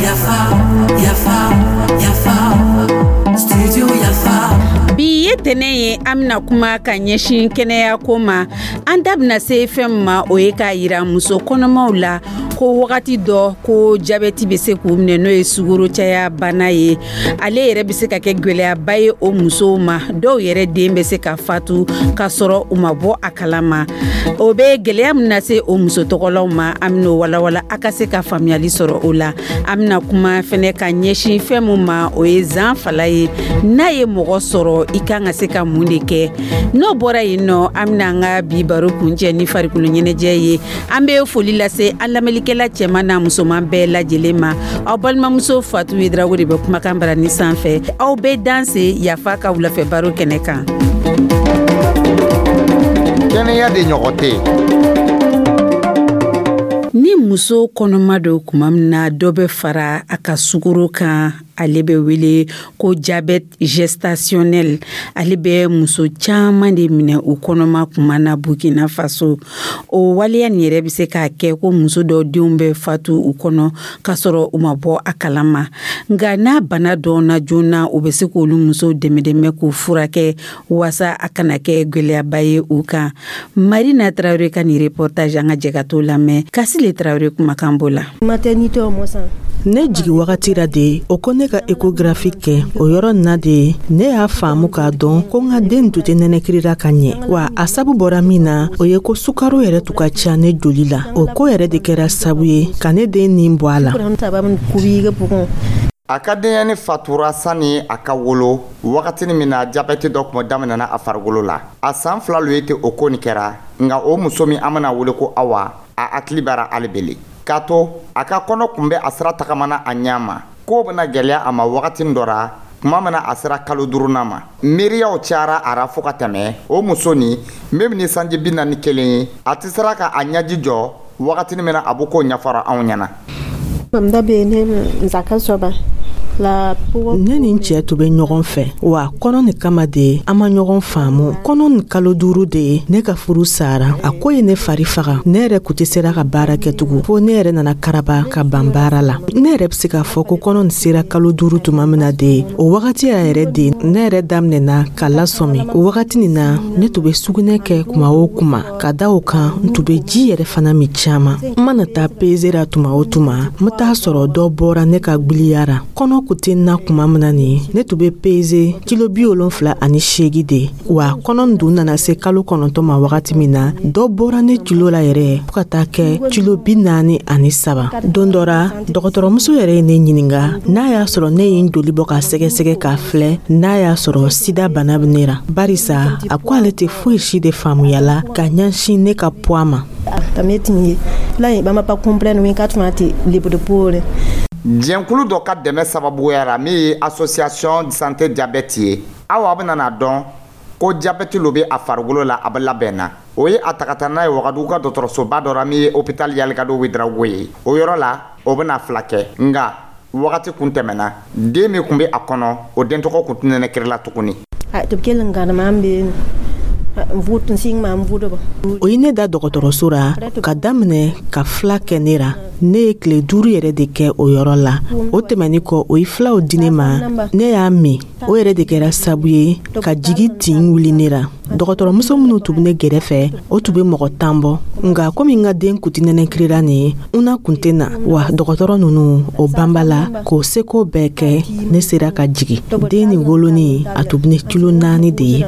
Yafa, yafa, yafa, studio Yafa. Bi ye tɛnɛ ye, an bɛna kuma ka ɲɛsin kɛnɛya ko ma. An da bɛna se fɛn min ma, o ye k'a yira muso kɔnɔmaw la ko wagati dɔ ko jabɛti bɛ se k'u minɛ, n'o ye sukaro caya bana ye. Ale yɛrɛ bɛ se ka kɛ gwɛlɛyaba ye o musow ma. Dɔw yɛrɛ den bɛ se ka fatu k'a sɔrɔ u ma bɔ a kalama. O bɛ gwɛlɛya min lase o muso tɔgɔlaw ma, an bɛn'o walawala a ka se ka faamuyali sɔrɔ o la. An bɛna kuma fɛnɛ ka ɲɛsin fɛn min ma, o ye zan fala ye. N'a ye mɔgɔ sɔrɔ, i kan ka se ka mun de kɛ? N'o bɔra yen nɔ, an bɛna an ka bi baro kuncɛ ni farikolo ɲɛnajɛ ye. An bɛ foli lase an lamɛnnikɛla cɛman n'a musoman bɛɛ lajɛlen ma. Aw balimamuso Fatu Yedrago de bɛ kumakan barani sanfɛ. Aw bɛ danse Yafa ka wulafɛ baro kɛnɛ kan. Kɛnɛya de ɲɔgɔn tɛ. Ni muso kɔnɔma don, tuma min na dɔ bɛ fara a ka sukaro kan, ale bɛ wele ko diabète gestationnel. Ale bɛ muso caman de minɛ u kɔnɔma kuma na Burkina Faso. O waleya nin yɛrɛ bɛ se k'a kɛ ko muso dɔw denw bɛ fatu u kɔnɔ k'a sɔrɔ u ma bɔ a kalama. Nka n'a bana dɔnna joona, u bɛ se k'olu musow dɛmɛ dɛmɛ k'u furakɛ waasa a kana kɛ gwɛlɛyaba ye u kan. Marina Tarawele ka nin reportage, an ka jɛ ka t'o lamɛn. Kasile Tarawele kumakan b'o la. Maternité o san. Ne jigi wagati la de, o ko ne ka échographie kɛ. O yɔrɔ na de, ne y'a faamu k'a dɔn ko n ka den tun tɛ nɛnɛkirira ka ɲɛ. Wa a sabu bɔra min na, o ye ko sukaro yɛrɛ tun ka ca ne joli la. O ko yɛrɛ de kɛra sabu ye ka ne den nin bɔ a la. A ka denyɛni fatura sani a ka wolo, wagatini min na jabɛti dɔ tun daminɛna a farikolo la. A san 2 lo ye ten o ko nin kɛra. Nka o muso min an bɛna wele ko Awa, a hakili b'ara hali bele k'a to a ka kɔnɔ kun bɛ a sira tagamana a ɲɛ ma. K'o bɛna gɛlɛya a ma wagatini dɔ ra, tuma min na a sera kalo duurunan ma. Miiriyaw cayara a ra fo ka tɛmɛ. O muso nin min ni sanji 41 ye, a tɛ sera ka a ɲɛji jɔ wagatini min na a b'o ko ɲɛfɔra anw ɲɛna. Ne ni n cɛ tun bɛ ɲɔgɔn fɛ, wa kɔnɔ nin kama de an ma ɲɔgɔn faamu. Kɔnɔ nin kalo 5 de ye, ne ka furu sara. A ko ye ne fari faga. Ne yɛrɛ kun tɛ sera ka baara kɛ tugun, fo ne yɛrɛ nana karaba ka ban baara la. Ne yɛrɛ bɛ se k'a fɔ ko kɔnɔ nin sera kalo 5 tuma min na de, o wagati yɛrɛ de ne yɛrɛ daminɛna ka lasɔmi. O wagati nin na, ne tun bɛ sugunɛ kɛ kuma o kuma. Ka da o kan, n tun bɛ ji yɛrɛ fana min caman. N mana taa peze ra tuma o tuma, n bɛ taa sɔrɔ dɔ bɔra ne ka gbiliya ra. Kɔnɔ kun tɛ n na kuma min na nin, ne tun bɛ peze kilo 78 de. Wa kɔnɔ dun nana se kalo 9 ma wagati min na, dɔ bɔra ne kilo la yɛrɛ fo ka taa kɛ kilo 43. Don dɔ ra, dɔgɔtɔrɔmuso yɛrɛ ye ne ɲininka n'a y'a sɔrɔ ne ye n joli bɔ ka sɛgɛsɛgɛ k'a filɛ n'a y'a sɔrɔ sida bana bɛ ne ra, barisa a ko ale tɛ foyi si de faamuya la ka ɲɛsin ne ka poids ma. Jɛnkulu dɔ ka dɛmɛ sababuya la min ye Association santé diabète ye, Awa bɛna n'a dɔn ko jabɛti lo bɛ a farikolo la. A bɛ labɛn na, o ye a ta ka taa n'a ye Wagadugu ka dɔgɔtɔrɔsoba dɔ la min ye hôpital Yalikado Ouédraogo ye. O yɔrɔ la, o bɛna fila kɛ, nka wagati kun tɛmɛna. Den min kun bɛ a kɔnɔ, o den tɔgɔ kun tɛ nɛnɛkiri la tuguni. O ye ne da dɔgɔtɔrɔso ra ka daminɛ ka fila kɛ ne ra. Ne ye tile 5 yɛrɛ de kɛ o yɔrɔ la. O tɛmɛni kɔ, o ye filaw di ne ma, ne y'a min. O yɛrɛ de kɛra sabu ye ka jigi tin wuli ne ra. Dɔgɔtɔrɔmuso minnu tun bɛ ne gɛrɛfɛ, o tun bɛ mɔgɔ 10 bɔ. Nka komi n ka den kun tɛ nɛnɛkirira nin ye, n na kun tɛ na wa dɔgɔtɔrɔ ninnu o banba la k'o seko bɛɛ kɛ, ne sera ka jigi. Den nin wolonin, a tun bɛ ne kilo 4 de ye.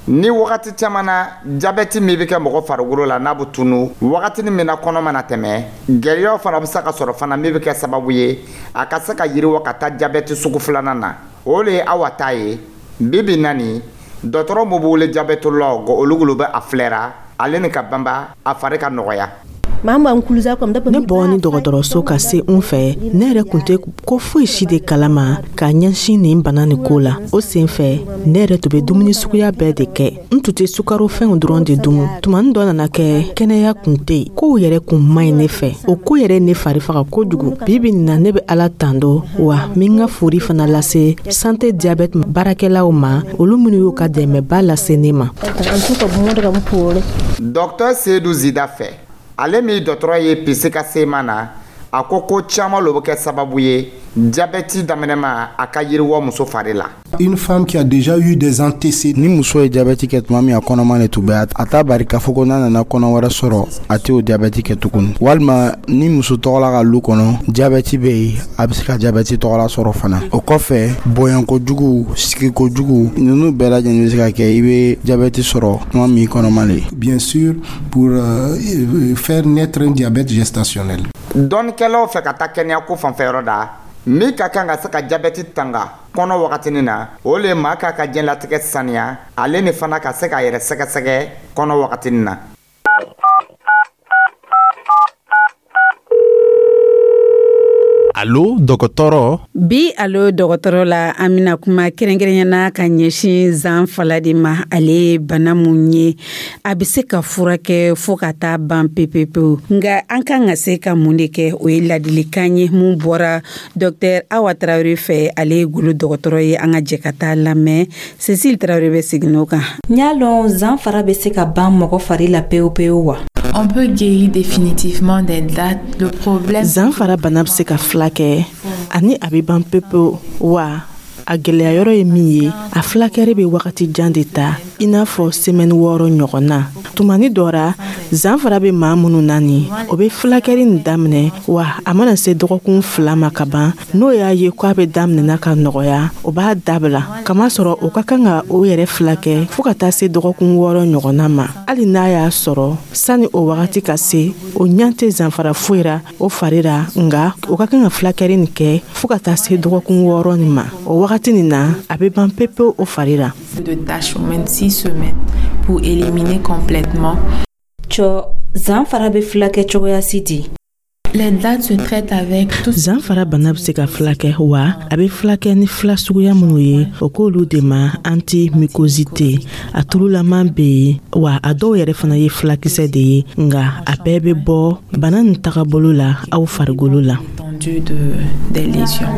Ni wagati caman na, jabɛti min bɛ kɛ mɔgɔ farikolo la, n'a bɛ tunu wagatini min na kɔnɔ mana tɛmɛ, gɛlɛyaw fana bɛ se ka sɔrɔ fana min bɛ kɛ sababu ye a ka se ka yiriwa ka taa jabɛti sugu filanan na. O de ye Awa ta ye. Bi bi na nin, dɔgɔtɔrɔ min bɛ wele diabétologue, olu bɛ a filɛra ale ni ka banba a fari ka nɔgɔya. Ne bɔni dɔgɔtɔrɔso ka se n fɛ, ne yɛrɛ kun tɛ ko foyi si de kalama k'a ɲɛsin nin bana nin ko la. O sen fɛ, ne yɛrɛ tun bɛ dumuni suguya bɛɛ de kɛ. N tun tɛ sukarofɛnw dɔrɔn de dumu. Tumani dɔ nana kɛ, kɛnɛya kun tɛ yen, kow yɛrɛ kun man ɲi ne fɛ. O ko yɛrɛ ne fari faga kojugu. Bi bi nin na, ne bɛ Ala tando, wa n bɛ n ka fori fana lase Santé Diabète baarakɛlaw ma, olu minnu y'u ka dɛmɛba lase ne ma. Dɔktɔr Seyidu Zida fɛ, ale min dɔgɔtɔrɔ ye pisi ka sema na, a ko ko caman lo bɛ kɛ sababu ye jabɛti daminɛma a ka yiriwɔ muso fari la. Une femme qui a déjà eu des antécédents. Ni muso ye jabɛti kɛ tuma min a kɔnɔma de tun bɛ, a t'a bari k'a fɔ ko n'a nana kɔnɔ wɛrɛ sɔrɔ, a tɛ o jabɛti kɛ tuguni. Walima ni muso tɔgɔla ka lu kɔnɔ jabɛti bɛ yen, a bɛ se ka jabɛti tɔgɔla sɔrɔ fana. O kɔfɛ, bonya kojugu, sigi kojugu, ninnu bɛɛ lajɛlen bɛ se ka kɛ i bɛ jabɛti sɔrɔ tuma min kɔnɔma le. Bien sûr, pour faire naître un diabète gestationnel. Dɔnnikɛlaw fɛ ka taa kɛnɛya ko fanfɛyɔrɔ da, min ka kan ka se ka jabɛti tanga kɔnɔ wagatinin na, o le maa k'a ka diɲɛlatigɛ saniya, ale ni fana ka se k'a yɛrɛ sɛgɛsɛgɛ kɔnɔ wagatinin na. Alo dɔgɔtɔrɔ. Bi alo dɔgɔtɔrɔ la, an bɛna kuma kɛrɛnkɛrɛnyana ka ɲɛsin zan fala de ma. Ale ye bana mun ye, a bɛ se ka furakɛ fo ka taa ban pepepewu, nka an kan ka se ka mun de kɛ? O ye ladilikan ye mun bɔra dɔktɛr Awa Tarawele fɛ, ale ye golo dɔgɔtɔrɔ ye. An ka jɛ ka taa lamɛn. Cecile Tarawele bɛ segin o kan. N y'a lɔn, zan fara bɛ se ka ban mɔgɔ fari la pewu pewu wa? On peut guérir définitivement des dates. Le problème. Zanfara bana bɛ se ka filakɛ ani a bɛ ban pepewu wa. A gɛlɛya yɔrɔ ye min ye, a filakɛri bɛ wagati jan de ta, i n'a fɔ semaine 6 ɲɔgɔn na. Tumani dɔ ra, zanfara bɛ maa minnu na nin, o bɛ filakɛri nin daminɛ, wa a mana se dɔgɔkun 2 ma ka ban, n'o y'a ye k'a bɛ daminɛna ka nɔgɔya, o b'a dabila, kamasɔrɔ o ka kan ka o yɛrɛ filakɛ fo ka taa se dɔgɔkun 6 ɲɔgɔnna ma. Hali n'a y'a sɔrɔ sani o wagati ka se, o ɲɛ tɛ zanfara foyi ra o fari ra, nka o ka kan ka filakɛri nin kɛ fo ka taa se dɔgɔkun 6 nin ma. O wagati nin na, a bɛ ban pepewu o fari ra. De tâches au moins de 6 semaines pour éliminer complètement. Cɔ, zan fara bɛ filakɛ cogoya si di? Les dates se traitent avec tout. Zanfara bana bɛ se ka filakɛ, wa a bɛ filakɛ ni fila suguya minnu ye, o k'olu de ma antimycosite. A tululaman bɛ yen, wa a dɔw yɛrɛ fana ye filakisɛ de ye, nka a bɛɛ bɛ bɔ bana nin tagabolo la aw farikolo la. Étendue des lésions.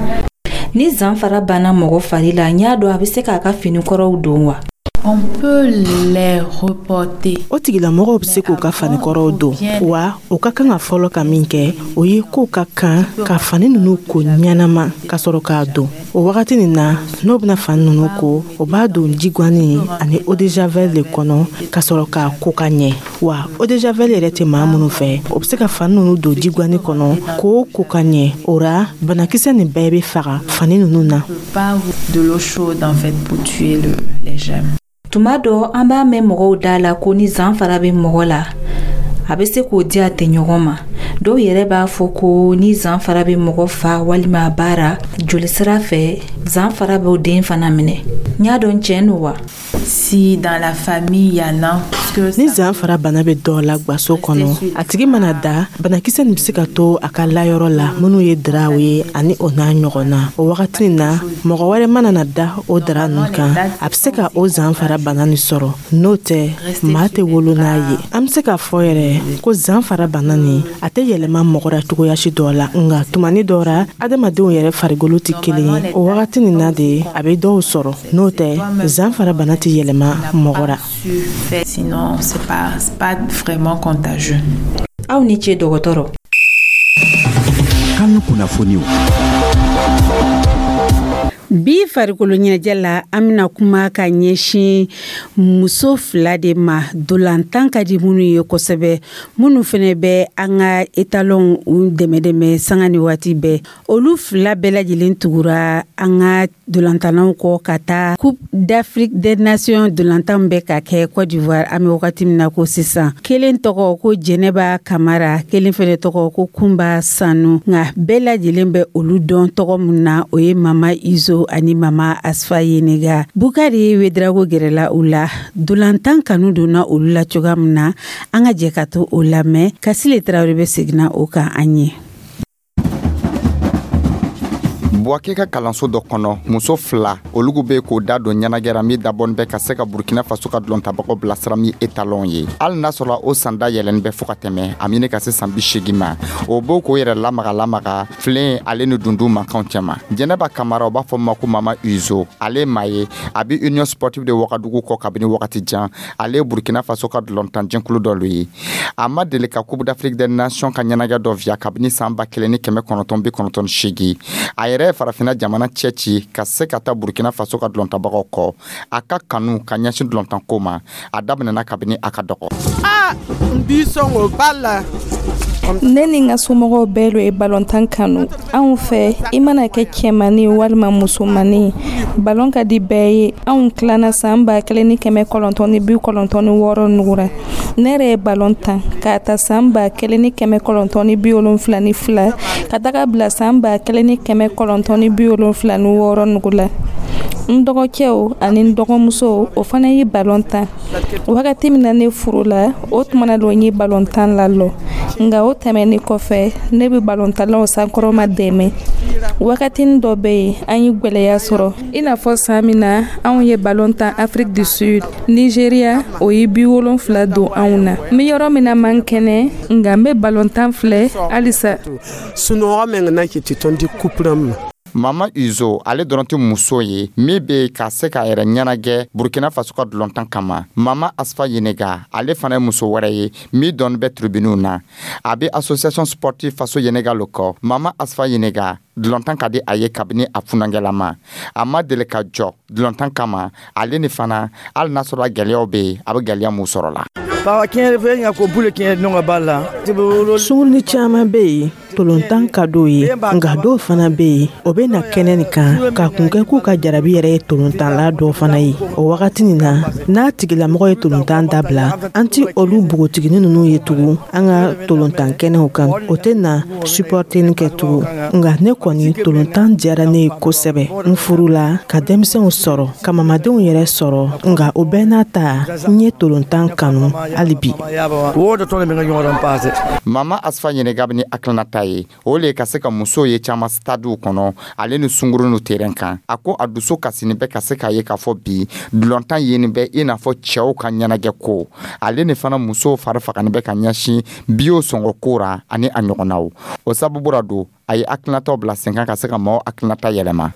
Ni zan fara banna mɔgɔ fari la, n y'a dɔn, a bɛ se k'a ka finikɔrɔw don wa? On peut les reporter. O tigilamɔgɔw bɛ se k'u ka fanikɔrɔw don, wa o ka kan ka fɔlɔ ka min kɛ, o ye k'o ka kan ka fani ninnu ko ɲɛnama ka sɔrɔ k'a don. O wagati nin na, n'o bɛna fani ninnu ko, o b'a don jiguani ani eau de javel de kɔnɔ ka sɔrɔ k'a ko ka ɲɛ. Wa eau de javel yɛrɛ tɛ maa minnu fɛ, o bɛ se ka fani ninnu don jiguani kɔnɔ k'o ko ka ɲɛ. O ra, banakisɛ nin bɛɛ bɛ faga fani ninnu na. Pas de l'eau chaude en fait pour tuer les germes. Tuma dɔ, an b'a mɛn mɔgɔw da la ko ni zan fara bɛ mɔgɔ la, a bɛ se k'o di a tɛɲɔgɔn ma. Dɔw yɛrɛ b'a fɔ ko ni zan fara bɛ mɔgɔ fa walima a baara jolisira fɛ, zan fara b'o den fana minɛ. N y'a dɔn, tiɲɛ don wa? Si dans la famille il y en a, parce que Ni zan fara bana bɛ dɔ la gwaso kɔnɔ, a tigi mana da, banakisɛ nin bɛ se ka to a ka layɔrɔ la, minnu ye daraw ye ani o n'a ɲɔgɔn na. O wagati nin na, mɔgɔ wɛrɛ mana na da o dara ninnu kan, a bɛ se ka o zan fara bana nin sɔrɔ. N'o tɛ, maa tɛ wolo n'a ye. An bɛ se k'a fɔ yɛrɛ ko zan fara bana nin, a tɛ yɛlɛma mɔgɔ la cogoya si dɔ la, nka tumani dɔ ra, adamadenw yɛrɛ farikolo tɛ kelen ye. O wagati nin na de a bɛ dɔw sɔrɔ. N'o tɛ, zan fara bana tɛ yɛlɛma mɔgɔ la. Fait, sinon c'est pas vraiment contagieux. Aw ni ce, dɔgɔtɔrɔ. Kan kunnafoniw. Bi farikolo ɲɛnajɛ la, an bɛna kuma ka ɲɛsin muso fila de ma, dolantan ka di minnu ye kosɛbɛ, minnu fɛnɛ bɛ an ka étalonw u dɛmɛ dɛmɛ sanga ni waati bɛɛ. Olu fila bɛɛ lajɛlen tugura an ka dolantannaw kɔ ka taa Coupe d'Afrique des Nations dolantan bɛ ka kɛ Côte d'Ivoire an bɛ wagati min na ko sisan. Kelen tɔgɔ ko Jɛnɛba Kamara, kelen fɛnɛ tɔgɔ ko Kunba Sanu, nka bɛɛ lajɛlen bɛ olu dɔn tɔgɔ mun na, o ye Mama Izo. Uzo ani Mama Asfa Yenega. Bukari Wedrago gɛrɛla u la. Dolantan kanu donna olu la cogoya min na, an ka jɛ ka to o lamɛn. Kasile Tarawele bɛ seginna o kan an ye. Buwake ka kalanso dɔ kɔnɔ, muso fila olugu be k'o da don ɲɛnagɛra min dabɔnin bɛ ka se ka Burkina Faso ka dulɔntabagaw bilasira min étalon ye. Hali n'a sɔrɔla o sanda yɛlɛni bɛ fɔɔ ka tɛmɛ a mini ka se san 80 ma, o b'o k'o yɛrɛ lamaga lamaga filen ale ni dundun mankanw cɛma. Jɛnɛba Kamara, o b'a fɔ ma ko Mama Uzo, ale maa ye a be Union sportive de Wagadugu kɔ kabini wagati jan. Ale ye Burkina Faso ka dulɔntan jɛnkulu dɔ lo ye. A ma deli ka Coupe d'Afrique des Nations ka ɲɛnagɛ dɔ viya kabini san 1998. A yɛrɛ ye Farafina jamana cɛ ci ka se ka taa Burkina Faso ka dulɔntabagaw kɔ. A ka kanu ka ɲɛsin dulɔntanko ma, a daminɛna kabini a ka dɔgɔ. Ne ni n ka somɔgɔw bɛɛ lo ye balontan kanu. Anw fɛ, i mana kɛ cɛmani walima musomani, balon ka di bɛɛ ye. Anw tilana san 1996 nugura. Ne yɛrɛ ye balon tan k'a ta san 1972 ka taga bila san 1976 nugu la. N dɔgɔkɛw ani n dɔgɔmusow, o fana ye balon tan. Wagati min na ne furula, o tuma na lo n ye balontan lalɔ. Nka o tɛmɛni kɔfɛ, ne bɛ balontalaw sankɔrɔma dɛmɛ. Wagatinin dɔ bɛ yen, an ye gwɛlɛya sɔrɔ, i n'a fɔ san min na anw ye balon tan Afrique du Sud, Nigéria o ye 70 don anw na. N bɛ yɔrɔ min na man kɛnɛ, nka n bɛ balontan filɛ halisa. Mama Uzo, ale dɔrɔn tɛ muso ye min bɛ ka se k'a yɛrɛ ɲɛnagɛ Burkina Faso ka dulɔntan kama. Mama Asfa Yenega, ale fana ye muso wɛrɛ ye min dɔnni bɛ tribuniw na. A bɛ Association sportive Faso Yenega lo kɔ. Mama Asfa Yenega, dulɔntan ka di a ye kabini a funankɛlama. A ma deli ka jɔ dulɔntan kama. Ale ni fana, hali n'a sɔrɔ gɛlɛyaw bɛ yen, a bɛ gɛlɛya mun sɔrɔ la. Sunguruni caman bɛ yen, tolontan ka d'o ye, nka dɔw fana bɛ yen, o bɛ na kɛnɛ nin kan ka kun kɛ k'u ka jarabi yɛrɛ ye tolontanla dɔ fana ye. O wagati nin na, n'a tigilamɔgɔ ye tolontan dabila, an ti olu npogotiginin ninnu ye tugun an ka tolontan kɛnɛw kan. O tɛ na supporteni kɛ tugun. Nka ne kɔni, tolontan diyara ne ye kosɛbɛ. N furula ka denmisɛnw sɔrɔ, ka mamadenw yɛrɛ sɔrɔ, nka o bɛɛ n'a ta, n ye tolontan kanu hali bi. Mama Asfa Ɲɛnɛga bɛ ni hakilinata ye, o le ka se ka musow ye caman stadiw kɔnɔ ale ni sunguru nu terrain kan. A ko a dusu kasini bɛ ka se k'a ye k'a fɔ bi dulɔntan yeni bɛ i n'a fɔ cɛw ka ɲɛnajɛ ko. Ale ni fana, musow fari fagani bɛ ka ɲɛsin biyo sɔngɔ ko ra ani a ɲɔgɔnnaw. O sababu ra don a ye hakilinataw bila sen kan ka se ka maaw hakilinata yɛlɛma.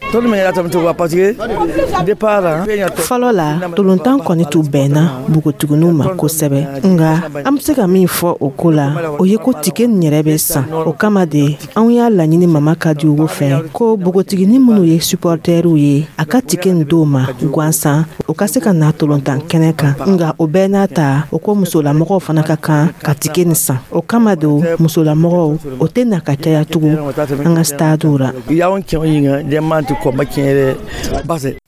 Fɔlɔ la, tolontan kɔni tun bɛnna npogotigininw ma kosɛbɛ, nka an bɛ se ka min fɔ o ko la, o ye ko tike nin yɛrɛ bɛ san. O kama de, anw y'a laɲini Mama Kadiyogo fɛ ko npogotiginin minnu ye supporteriw ye, a ka tike nin d'o ma gansan, o ka se ka na tolontan kɛnɛ kan. Nka o bɛɛ n'a ta, o ko musolamɔgɔw fana ka kan ka tike nin san. O kama don musolamɔgɔw o tɛ na ka caya tugun an ka stadiw la.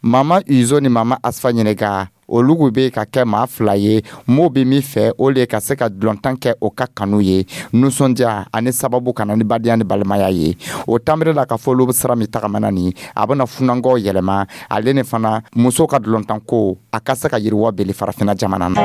Mama Uzo ni Mama Asfa Ɲɛnɛga, olugu bɛ ka kɛ maa fila ye m'o bɛ min fɛ, o le ka se ka dulɔntan kɛ o ka kanu ye, nisɔndiya ani sababu ka na ni badenya ni balimaya ye. O tanbere la ka fɔ olu bɛ sira min tagamana nin, a bɛna funankɛw yɛlɛma. Ale ni fana, muso ka dulɔntan ko a ka se ka yiriwa beli Farafinna jamana na.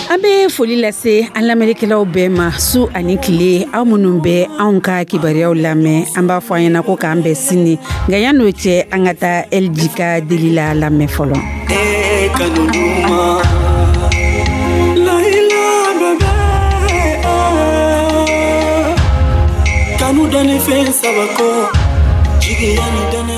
An bɛ foli lase an lamɛnnikɛlaw bɛɛ ma su ani tile, aw minnu bɛ anw ka kibaruyaw lamɛn. An b'a fɔ an ɲɛna ko k'an bɛn sini, nka yan'o cɛ, an ka taa Elji ka deli la lamɛn fɔlɔ. E kanu duman Layila bébé, kanu dani fɛn saba kɔ, jigiya ni danaya.